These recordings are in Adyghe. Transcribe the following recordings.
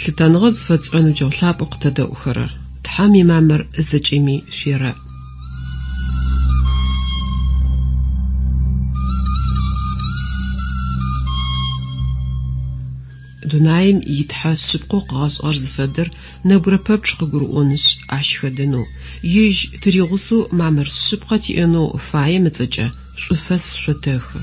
Лъытэныгъэ зыфэтшӏырэ ныбджэгъу лъапӏэу къытэдэӏухэрэр, Тхьэм имамыр зэкӏэми шъуерэӏ. Дунаим и Тхьэ шъыпкъэу къыгъэшӏыгъэр зыфэдэр нэбгырэ пэпчъ къыгурыӏонышъ, ащ хэдэнэу, ежь тыригъусэу мамыр шъыпкъэ тиӏэнэу фаем ыцӏэкӏэ шӏуфэс шъотэхы.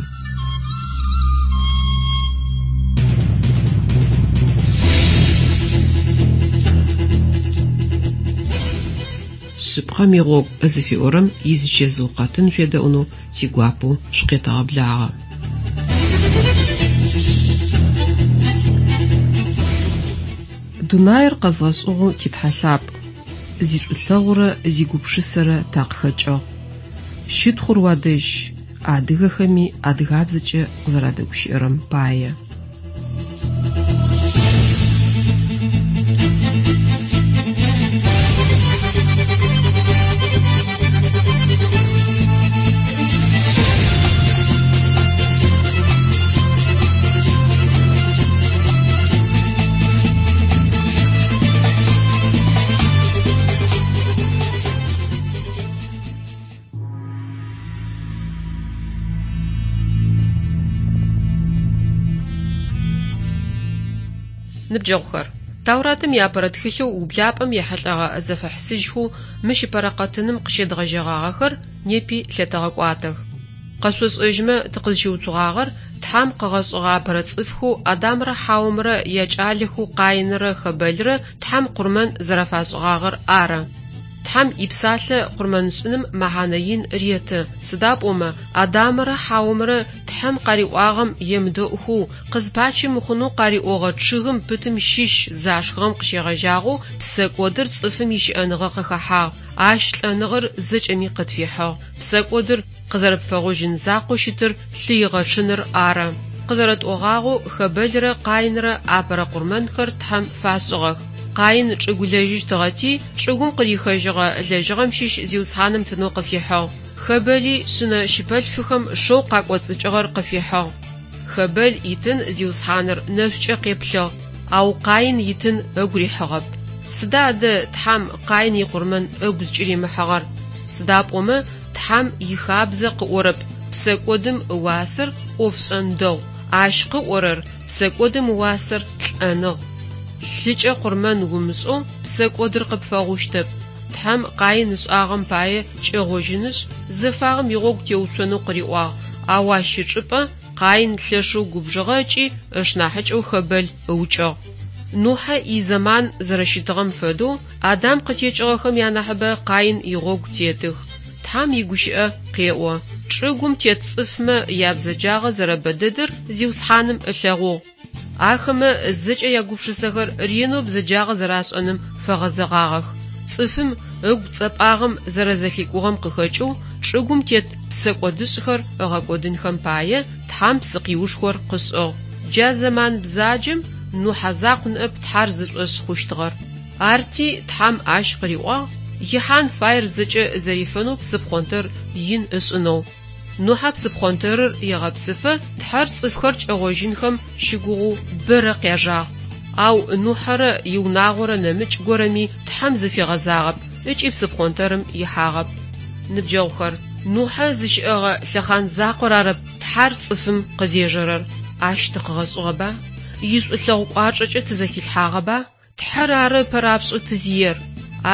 Шъыпкъэм игъогу зыфиӏорэм изычэзыу къэтын шъуедэӏунэу тигуапэу шъукъетэгъэблагъэ. Дунаир къэзгъэшӏыгъэу ти Тхьэ лъапӏ, зишӏулъэгъурэ зигупшысэрэ такъыхэкӏыгъ. Щытхъур уадэжь, адыгэхэми адыгабзэкӏэ къызэрадэгущыӏэрэм пае. Ныбджэгъухэр, Тауратым иапэрэ тхылъэу ублапӏэм ехьылӏэгъэ зэфэхьысыжьхэу мыщ ыпэрэ къэтыным къыщедгъэжьэгъагъэхэр непи лъэтэгъэкӏуатэх. Къэшъошӏэжьмэ тыкъызщыуцугъагъэр Тхьэм къыгъэшӏыгъэ апэрэ цӏыфхэу Адамрэ Хьаомрэ якӏалэхэу Къаинрэ Хэбэлрэ Тхьэм къурмэн зэрафашӏыгъагъэр ары. Тхьэм ипсалъэ къурмэншӏыным мэхьанэ ин реты, сыда пӏомэ Адамэрэ Хьаомрэ Тхьэм къариӏуагъэм емыдэӏухэу, къызпачи мыхъунэу къариӏогъэ чъыгым пытым щыщ зашхыгъэм къыщегъэжьагъэу псэкӏодыр цӏыфым ищыӏэныгъэ къыхэхьагъ, ащ лӏэныгъэр зэкӏэми къытфихьыгъ. Псэкӏодыр къызэрэпфэгъужьын закъоу щытыр лъы игъэчъыныр ары. Къызэрэтӏогъагъэу, Хэбэлрэ Къаинрэ апэрэ къурмэнхэр Тхьэм фашӏыгъэх. Къаин чӏыгулэжьыщтыгъэти, чӏыгум къырихыжьыгъэ лэжьыгъэм щыщ Зиусхьаным тынэу къыфихьыгъ. Хэбэли шъынэ щыпэлъфыхэм шэу къакӏоцӏыкӏыгъэр къыфихьыгъ. Хэбэл итын Зиусхьаныр нэшӏукӏэ къеплъыгъ, ау Къаин итын ыгу рихьыгъэп. Сыда адэ Тхьэм Къаин икъурмэн ыгу зыкӏыримыхьыгъэр? Сыда пӏомэ Тхьэм ихабзэ къыӏорэп, псэкӏодым ыуасэр ӏофшӏэн дэгъу, ащ къыӏорэр, псэкӏодым ыуасэр лӏэныгъ. Лъыкӏэ къурмэн умышӏэу псэкӏодыр къыпфэгъущтэп. Тхьэм Къаин ышӏагъэм пае кӏэгъожьынышъ, зэфагъэм игъогу теуцонэу къыриӏуагъ, ау ащ ычӏыпӏэ Къаин лъэшэу губжыгъэ ыкӏи ышнахьыкӏэу Хэбэл ыукӏыгъ. Нухьэ изэман зэрэщытыгъэм фэдэу, Адам къытекӏыгъэхэм янахьыбэ Къаин игъогу тетых. Тхьэм игущыӏэ къеӏо, Чӏыгум тет цӏыфмэ ябзэджагъэ зэрэбэдэдэр Зиусхьаным ылъэгъугъ. Ахэмэ зэкӏэ ягупшысэхэр ренэу бзэджагъэ зэрашӏэным фэгъэзэгъагъэх. Цӏыфым ыгу цӏэпӏагъэм зэрэзэлъикӏугъэм къыхэкӏэу чӏыгум тет псэкӏодышӏхэр ыгъэкӏодынхэм пае Тхьэм псыкъиушхор къышӏыгъ. Джа зэман бзаджэм Нухьэ закъу ныӏэп Тхьэр зышӏошъ хъущтыгъэр. Арти Тхьэм ащ къыриӏуагъ ихьан фаер зэкӏэ зэрифэнэу псыпхъонтэр ин ышӏынэу. Нухьэ псыпхъонтэрыр егъэпсыфэ Тхьэр цӏыфхэр кӏэгъожьынхэм щыгугъэу бэрэ къяжагъ. Ау Нухьэрэ иунагъорэ нэмыкӏ горэми Тхьэм зыфигъэзагъэп ыкӏи псыпхъонтэрым ихьагъэп. Ныбджэгъухэр, Нухьэ зыщыӏэгъэ лъэхъан закъор арэп Тхьэр цӏыфым къызежэрэр. Ащ тыкъыгъэшӏыгъэба? Ишӏулъэгъу кӏуачӏэкӏэ тызэхилъхьагъэба? Тхьэр ары ыпэрапшӏэу тызиер.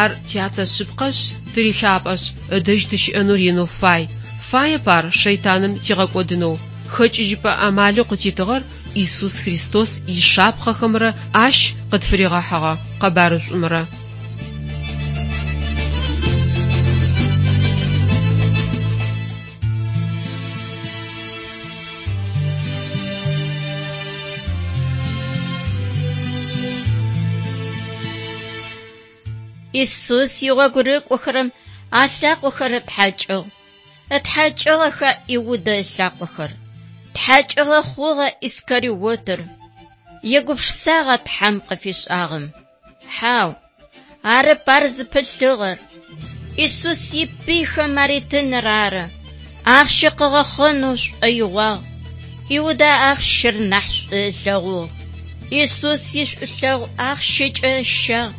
Ар тятэ шъыпкъэшъ, тырилъапӏэшъ, ыдэжь тыщыӏэнэу ренэу фай. Фаеп ар шэйтаным тигъэкӏодынэу. Хэкӏыжьыпӏэ амалэу къытитыгъэр Исус Христос ишапхъэхэмрэ ащ къытфыригъэхьыгъэ къэбарышӏумрэ. Исус игъогу рыкӏохэрэм алъакъохэр ытхьакӏыгъ. Ытхьакӏыгъэха Иудэ ылъакъохэр? Тхьакӏыгъэ хъугъэ Искариотыр. Егупшысагъа Тхьэм къыфишӏагъэм? Хьау, арэп ар зыпылъыгъэр. Исус ипыйхэм аритыныр ары. Ахъщэ къыгъэхъэнэу шӏоигъуагъ. Иудэ ахъщэр нахь шӏу ылъэгъугъ. Исус ишӏулъэгъу ахъщэкӏэ ыщагъ,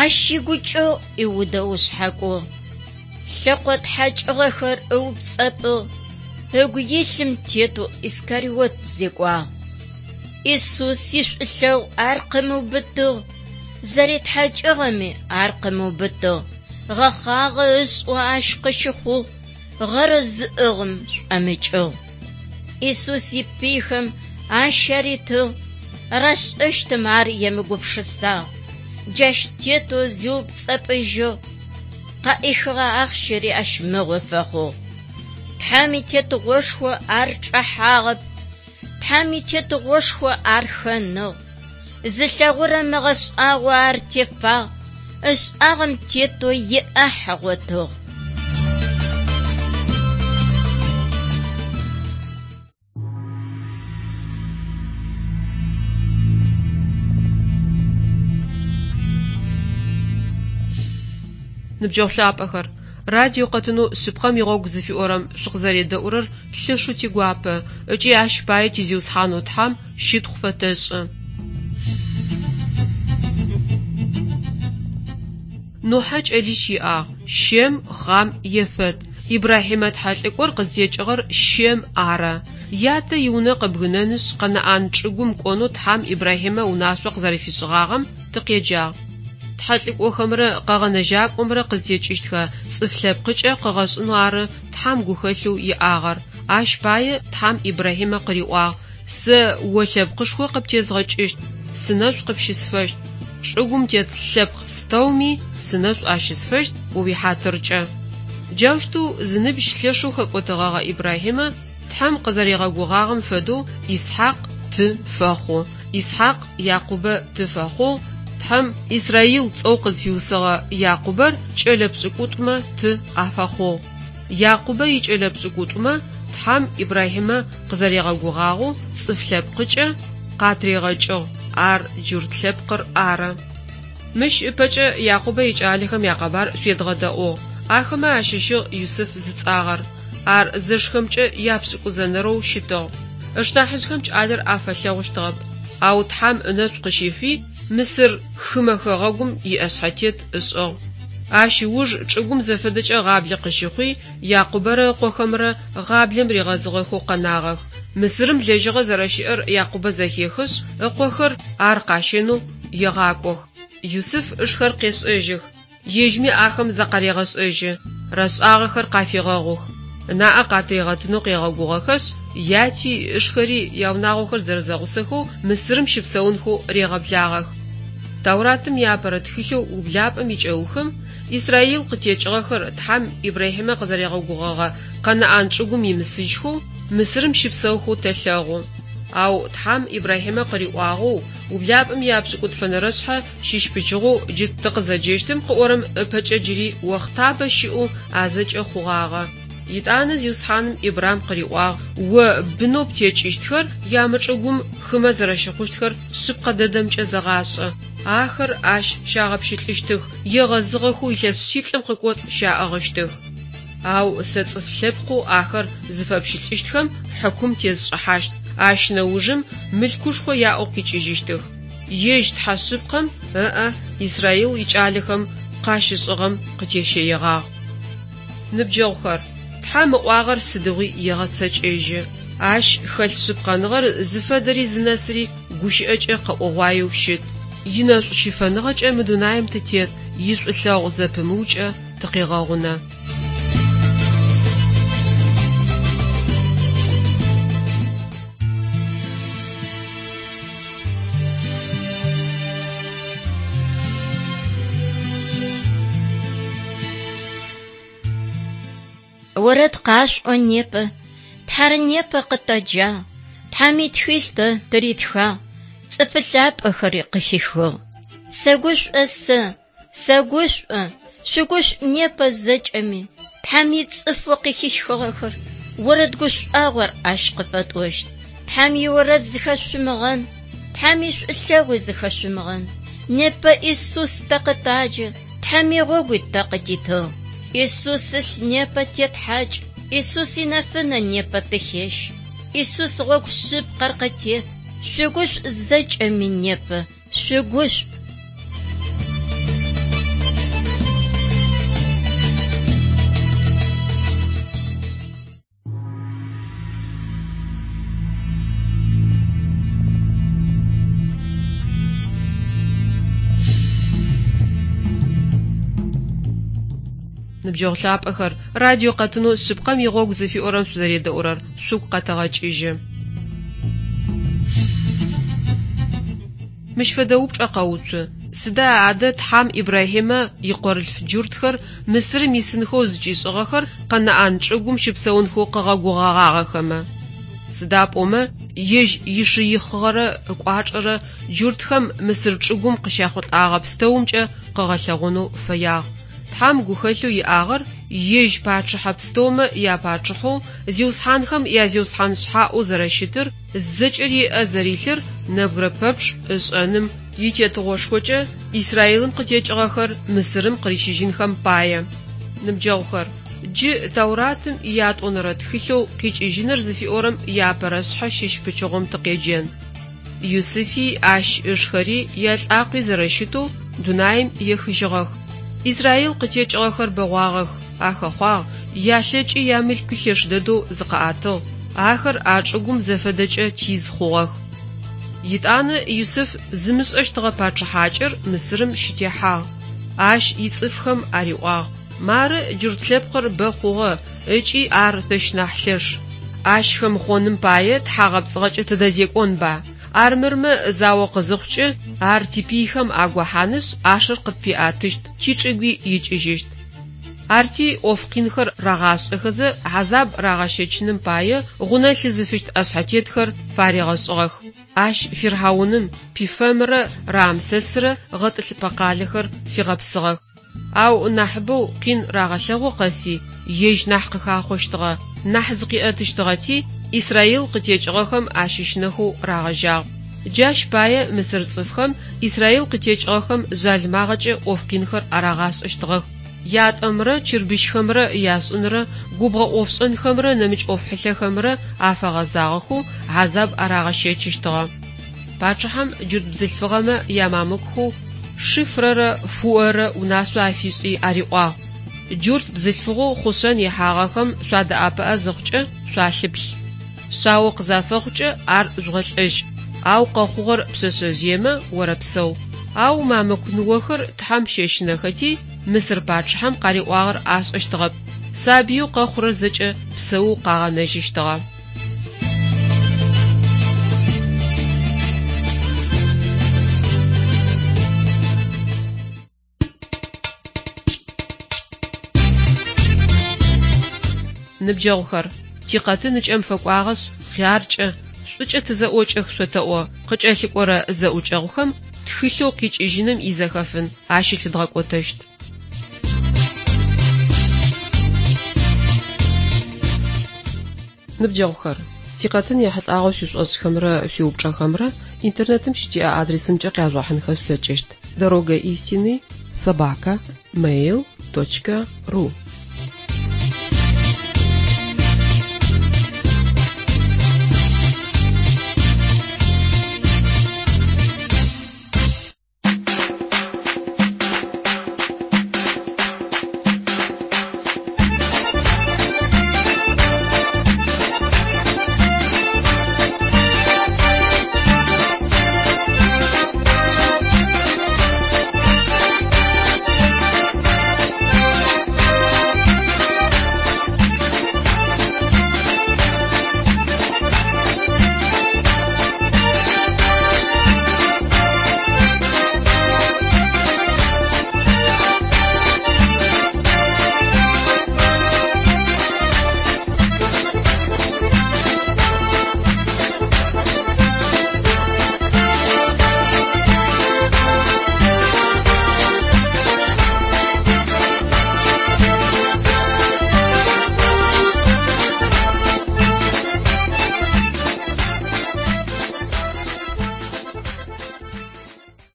ащ игукӏэгъу Иудэ ыушъхьакӏугъ. Лъэкъо тхьакӏыгъэхэр ыупцӏэпӏыгъ, ыгу илъым тетэу Искариот зекӏуагъ. Исус ишӏулъэгъу ар къымыубытыгъ, зэритхьакӏыгъэми ар къымыубытыгъ. Гъэхъагъэ ышӏэу ащ къыщыхъугъ, гъэрэ зыӏыгъым шӏомыкӏыгъ. Исус ипыйхэм ащ аритыгъ, рашӏэщтым ар емыгупшысагъ. Джащ тетэу зиупцӏэпӏыжьыгъ, къаӏихыгъэ ахъщэри ащ мыгъо фэхъугъ. Тхьэм итетыгъошхо ар чӏэхьагъэп, Тхьэм итетыгъошхо ар хэныгъ. Зылъэгъурэм ыгъэшӏагъо ар тефагъ, ышӏагъэм тетэу иӏахь ыгъотыгъ. Ныбджэгъу лъапӏэхэр, радио къэтынэу Шъыпкъэм игъогу зыфиӏорэм шъукъызэредэӏурэр лъэшэу тигуапэ ыкӏи ащ пае ти Зиусхьанэу Тхьэм щытхъу фэтэшӏы. Нухьэ кӏэлищ иӏагъ: Щем, Хъам, Ефэт. Ибрахьимэ тхьэлӏыкӏор къызтекӏыгъэр Щем ары. Ятэ иунэ къыбгынэнышъ, Къэнаӏан чӏыгум кӏонэу Тхьэм Ибрахьимэ унашъо къызэрэфишӏыгъагъэм тыкъеджагъ. Тхьэлӏыкӏохэмрэ Къэгъэнэжьакӏомрэ къызтекӏыщтхэ цӏыф лъэпкъыкӏэ къыгъэшӏынэу ары Тхьэм гухэлъэу иӏагъэр. Ащ пае Тхьэм Ибрахьимэ къыриӏуагъ, Сэ о лъэпкъышхо къыптезгъэкӏыщт, сынэшӏу къыпщысфэщт. Чӏыгум тет лъэпкъ пстэуми сынэшӏу ащысфэщт о уихьатыркӏэ. Джаущтэу зыныбжь лъэшэу хэкӏотэгъэгъэ Ибрахьимэ Тхьэм къызэригъэгугъагъэм фэдэу Исхьакъ ты фэхъу. Исхьакъ Якъубэ ты фэхъугъ, Тхьэм Исраил цӏэу къызфиусыгъэ Якъубэр кӏэлэ пшӏыкӏутӏумэ ты афэхъугъ. Якъубэ икӏэлэ пшӏыкӏутӏумэ Тхьэм Ибрахьимэ къызэригъэгугъагъэу цӏыф лъэпкъыкӏэ къатригъэкӏыгъ, ар джурт лъэпкъыр ары. Мыщ ыпэкӏэ Якъубэ икӏалэхэм якъэбар шъуедгъэдэӏугъ. Ахэмэ ащыщыгъ Юсыф зыцӏагъэр. Ар зэшхэмкӏэ япшӏыкӏузэнэрэу щытыгъ. Ышнахьыжъхэм кӏалэр афэлъэгъущтыгъэп. Ау Тхьэм ынэшӏу къыщифи, Мысыр хымэ хэгъэгум иӏэшъхьэтет ышӏыгъ. Ащ ыуж чӏыгум зэфэдэкӏэ гъаблэ къыщыхъуи, Якъубэрэ ыкъохэмрэ гъаблэм ригъэзыгъэхэу къэнагъэх. Мысырым лэжьыгъэ зэрэщыӏэр Якъубэ зэхехышъ, ыкъохэр ар къащэнэу егъакӏох. Юсыф ышхэр къешӏэжьых, ежьми ахэм закъарегъэшӏэжьы, рашӏагъэхэр къафегъэгъух. Ынаӏэ къатыригъэтынэу къегъэгугъэхэшъ, яти ышхэри яунагъохэр зэрэзэгъусэхэу Мысырым щыпсэунхэу регъэблагъэх. Тауратым иапэрэ тхылъэу Ублапӏэм икӏэухым Исраил къытекӏыгъэхэр Тхьэм Ибрахьимэ къызэригъэгугъэгъэ Къэнаӏан чӏыгум имысыжьхэу Мысырым щыпсэухэу тэлъэгъу. Ау Тхьэм Ибрахьимэ къыриӏуагъэу Ублапӏэм ияпшӏыкӏутфэнэрэшъхьэ щыщ пычыгъоу джы тыкъызэджэщтым къыӏорэм ыпэкӏэ джыри охътабэ щыӏэу а зэкӏэ хъугъагъэ. Етӏанэ Зиусхьаным Ибрам къыриӏуагъ, О бынэу птекӏыщтхэр ямычӏыгум хымэ зэрэщыхъущтхэр шъыпкъэ дэдэмкӏэ зэгъашӏэ. Ахэр ащ щагъэпщылӏыщтых, егъэзыгъэхэу илъэс шъиплӏым къыкӏоцӏ щаӏыгъыщтых. Ау сэ цӏыф лъэпкъэу ахэр зыфэпщылӏыщтхэм хьыкум тесшӏыхьащт, ащ нэужым мылъкушхо яӏэу къикӏыжьыщтых. Ежь Тхьэ шъыпкъэм ыӏэ Израил икӏалэхэм къащышӏыгъэм къытещэегъагъ. Ныбджэгъухэр, Тхьэм ыӏуагъэр сыдигъуи егъэцэкӏэжьы. Ащ хэлъ шъыпкъэныгъэр зыфэдэри зынэсыри гущыӏэкӏэ къэӏогъуаеу щыт. Инэшӏу щыфэныгъэкӏэ мы дунаим тытет, ишӏулъэгъу зэпымыукӏэ тыкъегъэгъунэ. Орэд къашъуӏо непэ, Тхьэр непэ къытэджагъ, Тхьэм итхылъ тэ тыритхагъ, цӏыфы лъапӏэхэри къыхихыгъ. Сэгушӏо сэ, сэгушӏо, шъугушӏу непэ зэкӏэми, Тхьэм ицӏыфэу къыхихыгъэхэр, орэд гушӏуагъор ащ къыфэтӏощт. Тхьэм иорэд зыхэшъумыгъэн, Тхьэм ишӏулъэгъуи зыхэшъумыгъэн. Непэ Исус тэ къытаджэ, Тхьэм игъогуи тэ къытитыгъ. Исус ылъ непэ тетхьакӏ, Исус инэфынэ непэ тыхещ. Исус гъогу шъыпкъэр къытет. Шъугушӏу зэкӏэми непэ, шъугушӏу! Ныбджэгъу лъапӏэхэр, радио къэтынэу Шъыпкъэм игъогу зыфиӏорэм шъузэредэӏурэр шъугу къэтэгъэкӏыжьы. Мыщ фэдэ упчӏэ къэуцу: Сыда адэ Тхьам Ибрахьимэ икъорылъф джуртхэр Мысырым исынхэу зыкӏишӏыгъэхэр Къэнаӏан чӏыгум щыпсэунхэу къыгъэгугъэгъагъэхэмэ? Сыда пӏомэ ежь ишыихъыгъэрэ ыкӏуачӏэрэ джуртхэм Мысыр чӏыгум къыщяхъулӏагъэ пстэумкӏэ къыгъэлъэгъонэу фэягъ. Тхьам гухэлъэу иӏагъэр ежь пачъыхьэ пстэумэ япачъыхьэу, зиусхьанхэм я Зиусхьан шъхьаӏэу зэрэщытыр, зэкӏэри ыӏэ зэрилъыр нэбгырэ пэпчъ ышӏэным итетыгъошхокӏэ Израилым къытекӏыгъэхэр Мысырым къырищыжьынхэм пае. Ныбджэгъухэр, джы Тауратым иятӏонэрэ тхылъэу Къикӏыжьыныр зыфиӏорэм иапэрэ шъхьэ щыщ пычыгъом тыкъеджэн. Юсыфи ащ ышхэри ялӏакъуи зэрэщытэу дунаим ехыжьыгъэх. Израил къытекӏыгъэхэр бэгъуагъэх, ахэхъуагъ, ялъэкӏи ямылъкуи лъэш дэдэу зыкъаӏэтыгъ, ахэр а чӏыгум зэфэдэкӏэ тиз хъугъэх. Етӏанэ Юсыф зымышӏэщтыгъэ пачъыхьакӏэр Мысырым щытехьагъ. Ащ ицӏыфхэм ариӏуагъ: Мары джурт лъэпкъыр бэ хъугъэ ыкӏи ар тэщ нахь лъэш. Ащ хэмыхъоным пае тхьагъэпцӏыгъэкӏэ тыдэзекӏонба? Армырмэ зао къызыхъукӏэ, ар типыйхэм агохьанышъ, ӏашэр къытпиӏэтыщт, тичӏыгуи икӏыжьыщт. Арти ӏоф къинхэр рагъашӏэхэзэ хьазаб рагъэщэчыным пае гъунэ лъызыфыщт ӏэшъхьэтетхэр фаригъэшӏыгъэх. Ащ фирхьауным Пифэмрэ Рамсэсрэ гъэтӏылъыпӏэ къалэхэр фигъэпсыгъэх. Ау нахьыбэу къин рагъэлъэгъу къэси, ежь нахь къыхахъощтыгъэ, нахь зыкъиӏэтыщтыгъэти, Израил къытекӏыгъэхэм ащыщынэхэу рагъэжьагъ. Джащ пае мысыр цӏыфхэм Израил къытекӏыгъэхэм жъалымагъэкӏэ ӏоф къинхэр арагъашӏэщтыгъэх. Ятӏэмрэ чырбыщхэмрэ яшӏынрэ, губгъо ӏофшӏэнхэмрэ нэмыкӏ ӏоф хьылъэхэмрэ афэгъэзагъэхэу хьазаб арагъэщэчыщтыгъэ. Пачъыхьэм джурт бзылъфыгъэмэ ямамлукхэу Шифрэрэ Фуэрэ унашъо афишӏи ариӏуагъ, Джурт бзылъфыгъэу хъушъэн ихьагъэхэм шъуадэӏэпыӏэ зыхъукӏэ шъуалъыплъ. Шъао къызафэхъукӏэ ар жъугъэлӏэжь, ау къэхъугъэр пшъэшъэжъыемэ орэпсэу. Ау мамлюк ныохэр Тхьэм щэщынэхэти, Мысыр пачъыхьэм къариӏуагъэр ашӏэщтыгъэп, сабыеу къэхъурэр зэкӏэ псэоу къагъэнэжьыщтыгъэ. Ныбджэгъухэр, тикъэтын ыкӏэм фэкӏуагъэшъ, хъяркӏэ, шӏукӏэ тызэӏокӏэх шъотэӏо, къыкӏэлъыкӏорэ зэӏукӏэгъухэм тхылъэу къикӏыжьыным изэхэфын ащылъыдгъэкӏотэщт. Ныбджэгъухэр, тикъэтын ехьылӏагъэу шъуишӏошӏхэмрэ шъуиупчӏэхэмрэ интернетым щытиӏэ адресымкӏэ къяжъугъэхьынхэ шъулъэкӏыщт: дорога истины собака mail точка ru.